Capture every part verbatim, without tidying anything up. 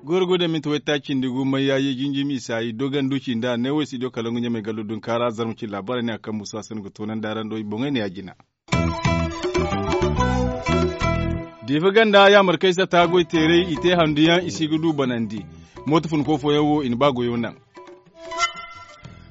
Gorgo da minti wayta cindi gu mayyayi jinjimi isa i dogan duci nda ne wo i si do kala ngu ɲamay gallo dunkaara zarma ci labaara ne a kaŋ musa sanda ga toonandi araŋ do i boŋey ne ya jina. Diifa ganda yaamar kaŋ ay satta goy teeray i te handu yaŋ i si ga du banandi. Mooto funko fooyaŋ wo i na ba goyo naŋ.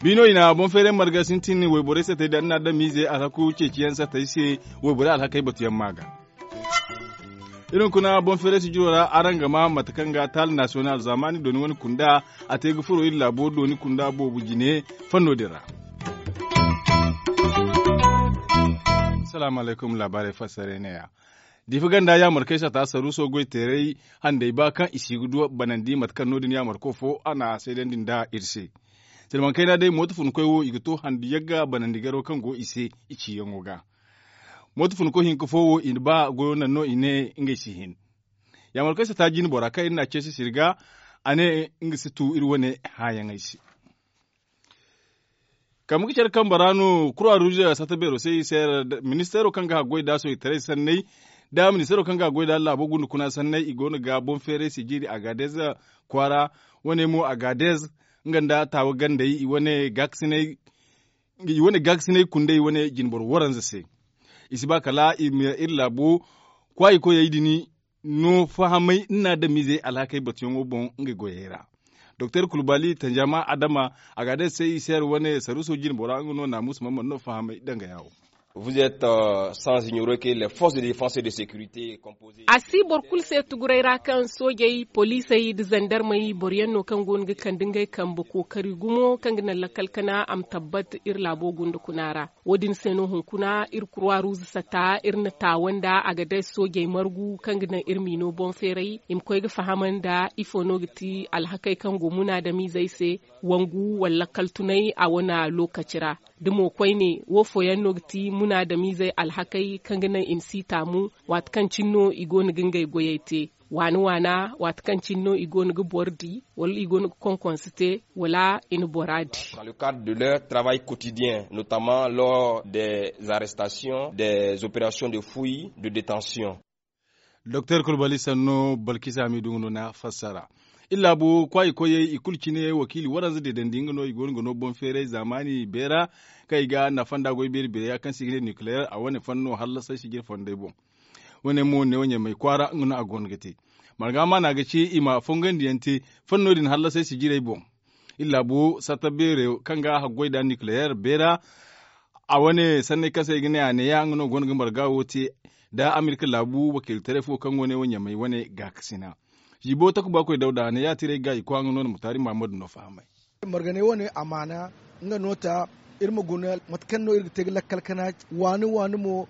Biino i na boŋ feeray marga sintin wayborey sattey da ni na adamiizey alhaku ceeciyaŋ sattey se. Wayborey alhakey batuyaŋ ma ga. Iri hunkuna boŋ feeray sijiro ra araŋ ga ma mate kaŋ ga taali nasiyonal zaamaani dooni wane kunda a te ga furo iri laabo dooni kunda boobo jine. Fanno din ra. Salaamu alaykum laabaarey fassarey ne- ya. Diifa ganda yaamar kaŋ ay satta saruuso goy teeray handay ba kaŋ i si ga du banandi mate kaŋ no- din yaamarko fo a na a seedandi nda iri se. Silmaŋ kayna day mooto funkoy wo i ga to handu yagga banandi garo kaŋ go i se i ciyaŋo ga. Mooto funko hinka fo wo i na ba goyo naŋ no i ne ngey si hin. Yaamar kaŋ ay satta jine bora kaŋ iri na a ceesi siri ga a ne nga si tu iri wane hãayaŋey se. Kambe ga care kambe ra no kura ruuze satta beero se i se ministeero kaŋ ga haggoy da sohitaray sanney da ministeero kaŋ ga haggoy da laabo gunda kuna sanney i go no ga boŋ feeray sijiri agaadez kwaara. Wane mo agaadez nga nda taawa gandey i wane gaakasinay kundey wane jinboro waranza se. I si ba kala i ma iri laabo kwaayi koyey din no fahamay ni na adamiizey alhakey batuyaŋo boŋ ngey goyey ra. Doktor kulbali tanjama adama a ga a day se i se hari wane saruuso jinbora nga no naamuusu mana mana no fahamay danga yaawo. Vous êtes sans ignorer que les forces de défense et de sécurité composées a si boro kulu se tuguray ra kaŋ soojey poliisey nda zandarmey boro yaŋ no kaŋ go no ga kande ngey kambe kookari gumo kaŋ ga naŋ lakkal kana a ma tabbat iri laabo gunda kuna ra. Wo- din se no hunkuna iri kurwa ruuze satta iri na taawa nda a ga day soojey margu kaŋ ga naŋ iri miino boŋ feeray i ma koy ga faham nda ifo no ga ti alhakey kaŋ go munaadamiizey se wangu wala lakkal tunay a wane lookaci ra. Da mo koyne wo fooyaŋ no ga ti munaadamiizey alhakey kaŋ ga naŋ i ma si taamu waati kaŋ cine no i go no ga ngey goyey te waana waana waati kaŋ cine no i go no ga boro di wala i go no ga konkonse te wala i na bora di. Dans le cadre de leur travail quotidien notamment lors des arrestations des opérations de fouilles de détention. Doktor kulbali sanno balkisa midu nga no na fassara. Iri laabu kwaayi koyey i kulu cine wakiili waranza deedandi nga no i go no ga no boŋ feeray zaamaani beera kaŋ i ga nafa nda goy beeri beeray ya kaŋ se i ga ne nukileer a wane fanno hallasay sijir fondey boŋ. Wane mo neewo ɲamay kwaara nga no a go no ga te. Marga maana ga ci i ma fongandi yaŋ te fanno din hallasay sijirey boŋ. Iri laabu satta beero kaŋ ga haggoy nda nukileer beera. A wane sanney kaŋ se ay ga ne a neeya nga no go no ga marga wo te nda amerika laabu wakiilitaray fo kaŋ go ne wo ɲamay wane gaakasina. Ziibo takuba koy dawda a ne ya tiray ga i kwa nga no na mutaari mahammadu no fahamay. Marganey wane amaana nga no ta iri ma guna mate kaŋ no iri ga te ga lakkal kana waani waani mo.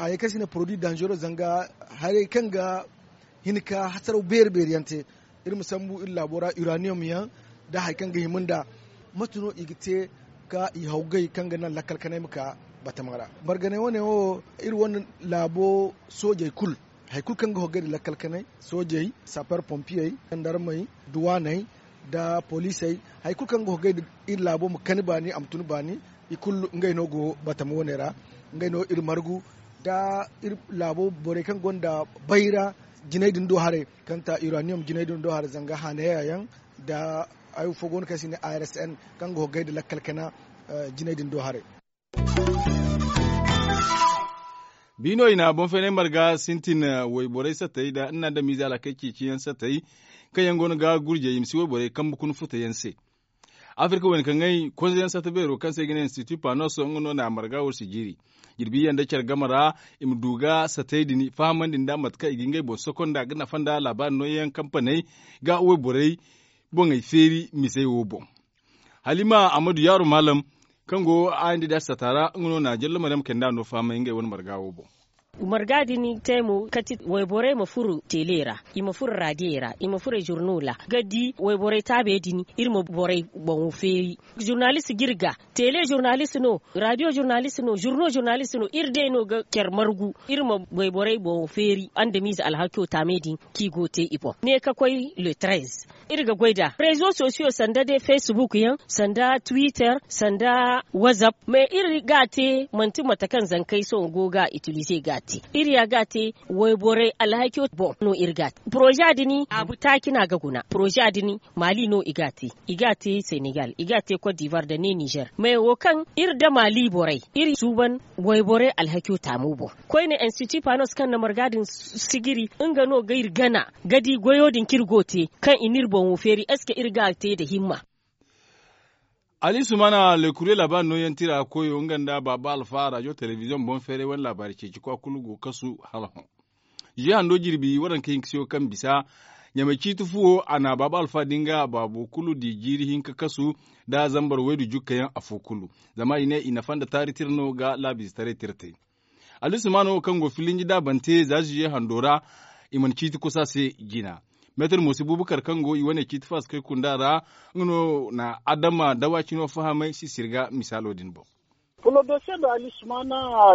Hayey kaŋ se i ne poroduwi danzero zanga haray kaŋ ga hin ka hasaraw beeri beeri yaŋ te. Iri ma sambu iri laabo ra uraniyom yaŋ nda hari kaŋ ga hima nda mate no i ga te ka i hawgay kaŋ ga naŋ lakkal kanay ma ka batama ra. Marganey wane wo iri wane laabo soojey kulu hari kulu kaŋ ga hawgay nda lakkal kanay soojey saper pompiyey jandarmey duwaaney nda poliisey hari kulu kaŋ ga hawgay nda iri laabo ma kani baani a ma tun baani. I kulu ngey no go batama wane ra ngey no iri margu nda iri laabo borey kaŋ gonda bayra jinay din do haray kaŋ ta uraniyom jinay din do haray zanga haanaya yaŋ nda hari fo go no kaŋ se i ne a r s n kaŋ ga hogay nda lakkal kana jinay din do haray. Biino i na boŋ feenay marga sintin wayborey sattey nda ni na adamiize alhakey ceeciyaŋ sattey kaŋ yaŋ go no ga gurjey i ma si wayborey kambe kuna futa yaŋ se. Afirka wayna kaŋ ay konze yaŋ satta beero kaŋ se i ga ne institut panos nga no na a marga war si jiiri. Jirbi yaŋ da care game ra i ma du ga sattey din fahamandi nda mate kaŋ i ga ngey boŋ sokonda ga nafa nda laabaari nooyaŋ kampaney ga wayborey boŋey feeri misey wo boŋ. Halima ammadu yaaro maalam kaŋ go a nda i da sata ra nga no na jallo maryam kayndi a no fahamay ngey wane marga wo boŋ. Marga din te mo kati wayborey ma furo tele ra, i ma furo radiyo ra, i ma furo zurno ra ga di wayborey taabe din. Iri ma borey boŋo feeri. Zurnalist ga iri ga tele zurnalist no, radiyo zurnalist no, zurno zurnalist no, iri day no ga care margu. Iri ma wayborey boŋo feeri andamiize alhakiyo taamey din kaŋ i go ga te i boŋ ne ka koy le trez. Iri ga goy nd'a rezo sosiyo sanda day facebook yaŋ, sanda twitter, sanda whatsapp. Mais iri ga a te manti mate kaŋ zankey sohõ go ga itilize ga a te. Iri ya ga a te wayborey alhakiyo boŋ no iri ga a te poroza din. Abu taaci no a ga guna poroza din. Mali no i ga a te, i ga a te senegal, i ga a te cote d'ivoire nda ne nizer. Mais wo kaŋ iri nda mali borey iri suuban wayborey alhakiyo taamo boŋ. Koyne institut panos kaŋ na marga din sijiri nga no ga iri gana ga di goyo din kaŋ iri go ga te kaŋ i n'iri boŋo feeri est ce que iri ga a te nda himma? Ali sumana le kure laabaari nooyaŋ tira koyo nga nda baaba alfa rajo telebiziyoŋ boŋ feeray wane laabaari ceeci kwa kulu go kasu hala hõ. Ziye hando jirbi waranka hinka siyo kaŋ bisa ɲamay ciiti fuwo a na baaba alfa din ga baabo kulu di jiiri hinka kasu nda zambar waydu jukka yaŋ afo kulu. Zama i ne i nafa nda taari tira no ga laabiizetaray tira te. Ali sumana wo kaŋ go filinji daabante za ziye hando ra i mana ciiti kusa se jina. Meetar moosi buubakar kaŋ go i wane ciiti faasakey kunda ra nga no na adama dawa cino fahamay sisir ga misaalo din boŋ. Pour le dossier de ali sumana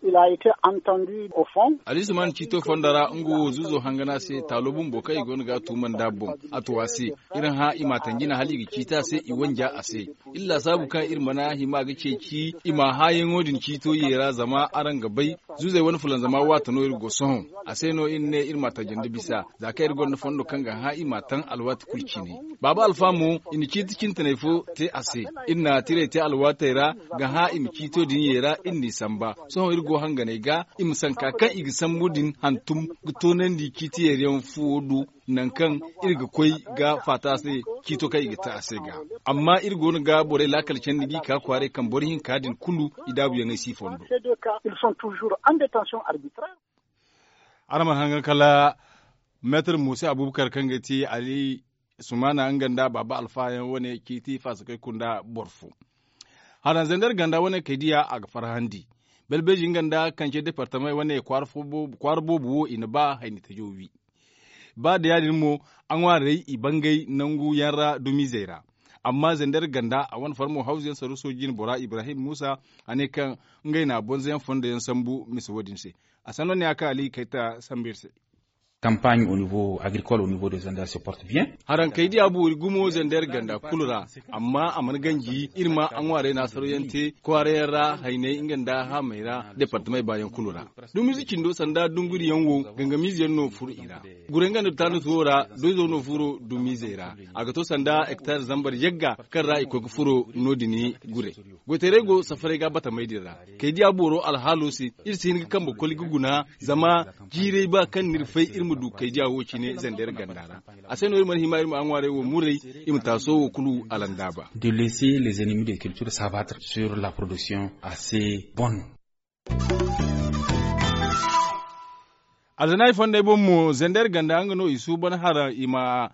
il a été entendu au fond. Ali sumana ciito fondo ra nga wo zuuzo hangana se taalo bumbo kaŋ i go no ga a tuuma nd'a boŋ. A tu a se iri hã i m'a tanji na hala i ga ciiti a se i wanja a se. Iri laasaabu kaŋ iri mana hima ga ceeci i ma hãayaŋo din ciito ye ra zama araŋ ga bay. Zuuzey wane fulanzama waati no iri go sohõ. A se no iri ne iri ma tajandi bisa za kaŋ iri gonda fondo kaŋ ga hã i ma taŋ alwaati kulu cine. Baaba alfa mo i na ciiti cintanay fo te a se. Iri na tirey te alwaatey ra ga hã i ma ciito din ye ra iri n'i samba. Sohõ iri go hanganey ga i ma sanka kaŋ i ga sambu din hantum ga toonandi ciiti yeeriyaŋ fuwo do. Nangu kaŋ iri ga koy ga faata se ciito kaŋ i ga te a se ga. Amma iri go no ga borey laakal candi g'i ka kwaaray kaŋ boro hinka din kulu i daabuyaŋey si fondo. Araŋ mana hangan kala meetar musa abubakar kaŋ ga ti ali sumana nga nda baaba alfa yaŋ wane ciiti faasakey kunda boro fo. Haraŋ zandar ganda wane kay diya a ga farhandi. Balbeeji nga nda kance departamey wane kwaara boobo wo i na ba hayni tajo wi. Ba da ya- din mo a ŋwaarey i bangay nangu yaŋ ra dumizey ra. Amma zandar ganda a wane farmo hawzu yaŋ saruuso jine bora ibrahim musa a ne kaŋ ngey na bonzo yaŋ fondo yaŋ sambu mise wo- din se. A sanno ne a kaŋ ali kayta sambu iri se. Kampaaɲ au niveau agricole au niveau de zander se porte bien. Haraŋ kay diya boori gumo zander ganda kulu ra. Amma a mana ganji iri ma a ŋwaarey na a saro yaŋ te kwaara yaŋ ra hayney nga nda haamey ra departamey baayaŋ kulu ra. Dumiize cindo sanda dunguriyaŋ wo gangamiize yaŋ no furo i ra. Gurey nga nda taanus wo ra doyzo no furo dumiizey ra. A ga to sanda hektar zambar yagga kaŋ ra i koy ga furo no- din gurey. Goytaray go safaray ga batamey din ra. Kay diya booro alhaalo se iri si hin ga kambe koli ga guna. Zama jiiray ba kaŋ no iri fay iri ma du kay diya wo- cine zander ganda ra. A se no iri mana hima iri ma a ŋwaaray wo muray i ma taaso wo kulu alandaaba. De laisser les ennemis de culture s'abattre sur la production assez bonne. Alzanaari fondey boŋ mo zander ganda nga no i suuban haraŋ i ma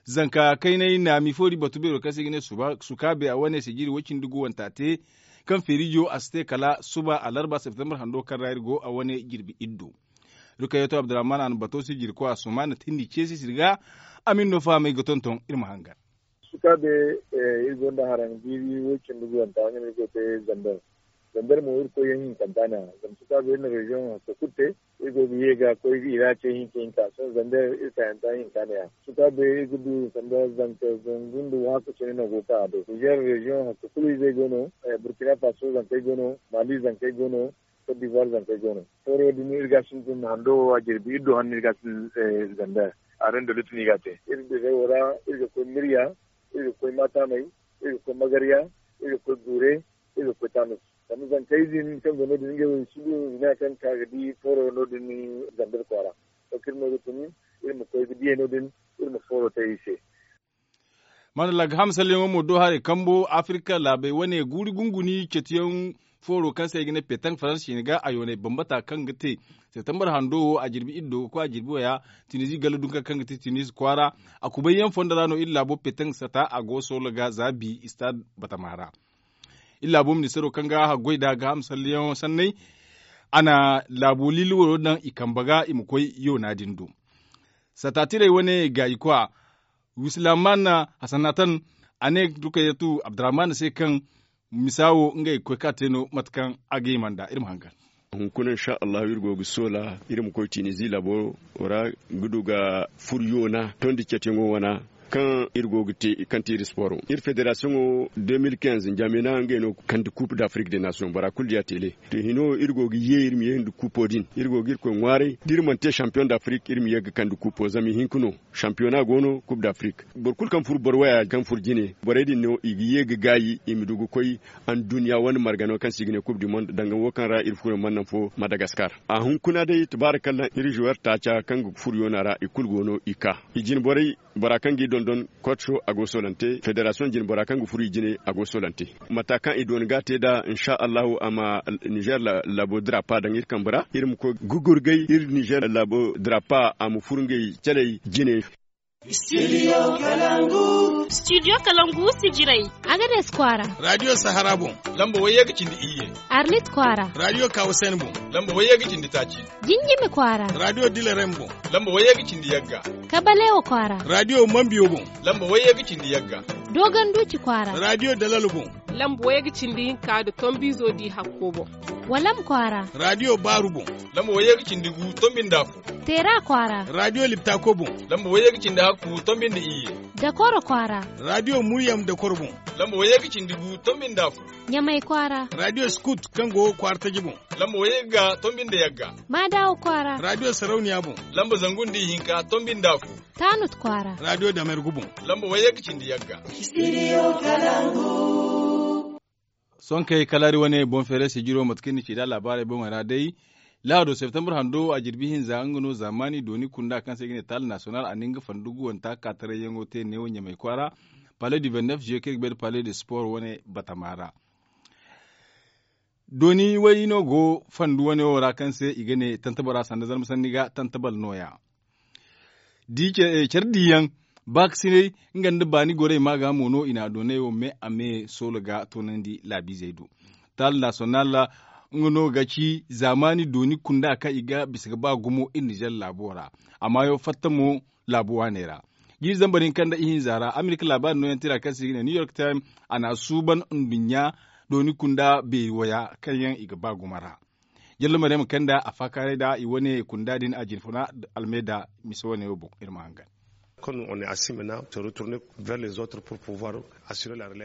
zanka kaynay naami foori batu beero kaŋ se i ga ne sukaabe a wane sijiri woy cindi gu wanta te. Kaŋ feerijo a si te kala suba alarba septembar hando kaŋ ra iri go a wane jirbi iddo. Rukayyato abdurrahman a na bato sijiri koy a suma na tindi ceesi sirga. A ma iri no fahamay ga tonton iri ma hangan. Sukaabe iri gonda haraŋ jiiri woy cindi gu wanta nga no iri go te zander. Zander mo iri koy yaŋ hinkanta ne a zama sukaabe iri na reziyoŋ hakka kulu te. Iri go ga ye ga koy ga ira ce hinka hinka sohõ zander iri kaayanta hinka ne a. Sukaabe iri ga du sanda zanka zangu nda waaka cine no go ka a do nizer reziyoŋ hakka kulu izey go no. Burkina faso zankey go no, mali zankey go no, cote d'ivoire zankey go no. Fooro din iri ga sintin hando wo a jirbi iri do hanno iri ga sintin zander. A rendo litti no i ga a te iri bizey wo ra. Iri ga koy mirya, iri ga koy maatamey, iri ga koy magarya, iri ga koy guure, iri ga koy taanus. Zama zankey din kaŋ go no- din ngey wo i si du zina kaŋ ka ga di fooro no- din zander kwaara. To kaŋ iri no ga tun iri ma koy ga diyey no- din iri ma fooro te i se. Mana laga ham salyaŋo mo do haray kambo afirka laabey wane guuri gunguni cetiyaŋ fooro kaŋ se ay ga ne petank faransi cine ga a yoonay bambata kaŋ ga te septembar hando wo a jirbi iri do ga koy a jirbi waya. Tunizi galla dunka kaŋ ga te tunizi kwaara a kubay yaŋ fondo ra no iri laabo petank sata a go soola ga za bi istad batama ra. Iri laabo ministaro kaŋ ga haggoy da ga ham salliyaŋo sanney. a na laabo liili waro daŋ i kambe ga i ma koy yoona din do. Sataatirey wane gaayikwa, wislaman hasanatan, a ne rukayatu abdurrahman se kaŋ misa wo ngey ga koy ka te no mate kaŋ a ga hima nd'a iri ma hangan. Hunkuna insa allahu iri go ga soola iri ma koy tinizi laabo ra ga du ga fur yoona tondi cetiyaŋo wana kaŋ iri go ga te kaŋ te iri sporo iri federasiyoŋo. De mil kinz njamena ngey no ga kandi kup d'afrik de nation bora kulu diya tele. To hino iri go ga ye iri ma ye nda kupo din iri go ga iri koy ŋwaaray da iri mana te sampiyoŋ d'afrik iri ma ye ga kandi kupo zama i hinka no. Sampiyona go no kup d'afrik boro kulu kaŋ furo boro waya kaŋ furo jine borey din no i ga ye ga gaayi i ma du ga koy anduɲɲa wane margano kaŋ se i ga ne kup du monde danga wo kaŋ ra iri furo mana naŋ fo madagaskar. A hunkuna day tabaarikalla iri zuwer taaca kaŋ ga furo yoona ra i kulu go no i ka i jine borey. Bora kaŋ ga i dondon kotso a go solante federasiyoŋ jine bora kaŋ ga furo i jine a go solante. Mata kaŋ i dooni ga a te nd'a insa allahu a ma nizer laabo draapa daŋ iri kambe ra iri ma koy ga gurgay iri nizer laabo draapa a ma furo ngey caley jine. Studio kalangu sijirey agades kwaara. Radiyo sahara boŋ lamba wayye ga cindi iyye. Arlit kwaara radiyo kawusen boŋ lamba wayye ga cindi taaci. Jinjimi kwaara radiyo dilarem boŋ lamba wayye ga cindi yagga. Kabalewo kwaara radiyo mambiyo boŋ lamba wayye ga cindi yagga. Dogonduuci kwaara radiyo dalalo boŋ lamba wayye ga cindi hinka nda tombiizo di hakko boŋ. Walam kwaara radiyo baaru boŋ lamba wayye ga cindi gu tombi nda afo. Teera kwaara radiyo liptako boŋ lamba wayye ga cindi hakku tombi nda iyye. Dakoro kwaara radiyo muryam dakoro boŋ lamba wayye ga cindi gu tombi nda afo. Ɲamay kwaara radiyo skut kaŋ go kwaara taji boŋ lamba wayye ga tombi nda yagga. Maadawo kwaara radiyo sarauniya boŋ lamba zangu nda ihinka tombi nda afo. Taanut kwaara radiyo damergu boŋ lamba wayye ga cindi yagga. Sohõ kay kala iri wane boŋ feeray sijiro mate kaŋ ni ci nd'a laabaarey boŋey ra day. Lahado septembre hando a jirbi hinza nga no zaamaani dooni kunda kaŋ se i ga ne taali nasiyonal a na nga fandugu wanta kaataray yaŋo te neewo ɲamay kwaara. Palais du vingt-neuf juillet kaŋ i ga bay nda palais de sport wane batama ra. Dooni way no go fandu wane wo ra kaŋ se i ga ne tantabara sanda zarma sanni ga tantabal nooya. Care diiyaŋ baakasinay nga nda baani gorey ma ga mo no i na a doonay wo me a me soola ga toonandi laabiizey do. Taali nasiyonal nga no ga ci zaamaani dooni kunda kaŋ i ga bisa ga ba gumo iri nizer laabo ra. A maayo fatta mo laabu waaney ra. Jiiri zambar hinka nda ihinza ra amerika laabaari nooyaŋ tira kaŋ se i ga ne new york time a na a suuban nduɲɲa dooni kunda beeri waya kaŋ yaŋ i ga ba gumo ra. Jallo maryam kanda a faakaaray nda i wane kunda din a jinfuna almeeda mise wane wo boŋ iri ma hangan.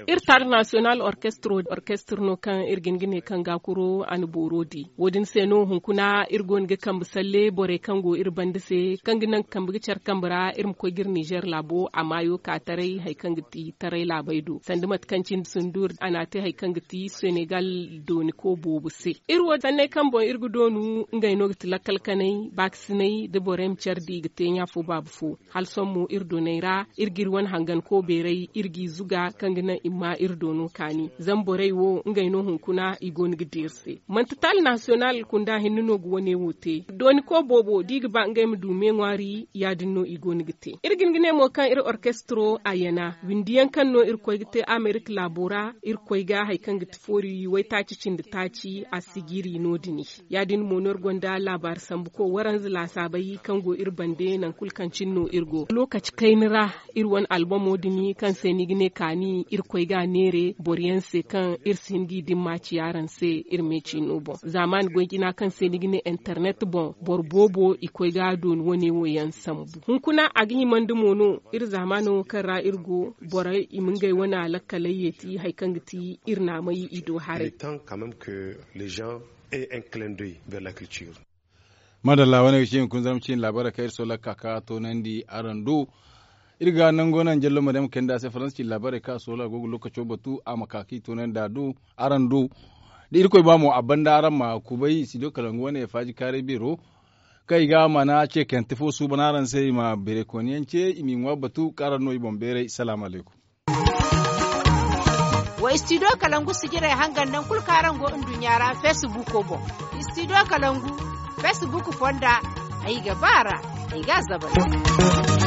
Iri taali nasiyonal orkestro orkestro no kaŋ iri ga hin ga ne kaŋ ga kuro a na booro di wo- din se no hunkuna iri go no ga kambe salle borey kaŋ go iri banda se kaŋ ga naŋ kambe ga care kambe ra iri ma koy ga iri nizer laabo a maayo ka taray hari kaŋ ga ti taray laabey do sanda mate kaŋ cindi sundur a na a te hari kaŋ ga ti senegal dooniko boobo se. Iri wo sanney kaŋ boŋ iri ga doonu ngey no ga ti lakkal kanay baakasinay da borey ma care di i ga te ɲa fo baaba fo. Hala sohõ mo iri dooney ra iri ga iri wane hanganko beeray iri g'i zuga kaŋ ga naŋ i ma iri doono kaani zama borey wo ngey no hunkuna i go no ga di iri se. Manti taali nasiyonal kunda hinne no ga wane wo te dooniko boobo da i ga ba ngey ma du me ŋwaari ya- din no i go no ga te. Iri ga hin ga ne mo kaŋ iri orkestro a yana windi yaŋ kaŋ no iri koy ga te amerika laabo ra iri koy ga hari kaŋ ga ti foori waytaaci cindi taaci a si jiiri no- din. Ya- din mo no iri gonda laabaari sambuko waranza laasaabey kaŋ go iri bande nangu kulu kaŋ cine no iri go lookaci kayna ra. Iri wane albamo din kaŋ se ni ga ne kaani iri koy ga a neere boro yaŋ se kaŋ iri si hin g'i dimma ci araŋ se iri me ciino boŋ zaamaani goy jina kaŋ se ni ga ne internet boŋ boro boobo i koy ga a dooni wane wo yaŋ sambu hunkuna a ga himandi mo no iri zaamaano wo kaŋ ra iri go borey i ma ngey wane alakkaley yeeti hari kaŋ ga ti iri naamay i do haray. Maadalla wane ga ci hunkuna zarma ciine laabaarey kaŋ iri soola ga ka ka toonandi araŋ do. Iri ga nango naŋ jallo maryam kayndi a se faransa ciine laabaarey kaŋ a soola a go ga lookaco batu a ma ka ka i toonandi a do araŋ do. Da irkoy ba mo a banda araŋ ma kubay studio kalangu wane faaji kaaray beero kaŋ i ga a mana ce kante fo suuban araŋ se i ma beeray kooniyaŋ ce i m'i ŋwa batu kaŋ araŋ no i boŋ beeray salaamu alaykum. Wa studio kalangu sijirey hangan nangu kulu kaŋ araŋ go nduɲɲa ra facebook boŋ. Studio kalangu facebook fonda ay ga ba a ra ay ga a zabari.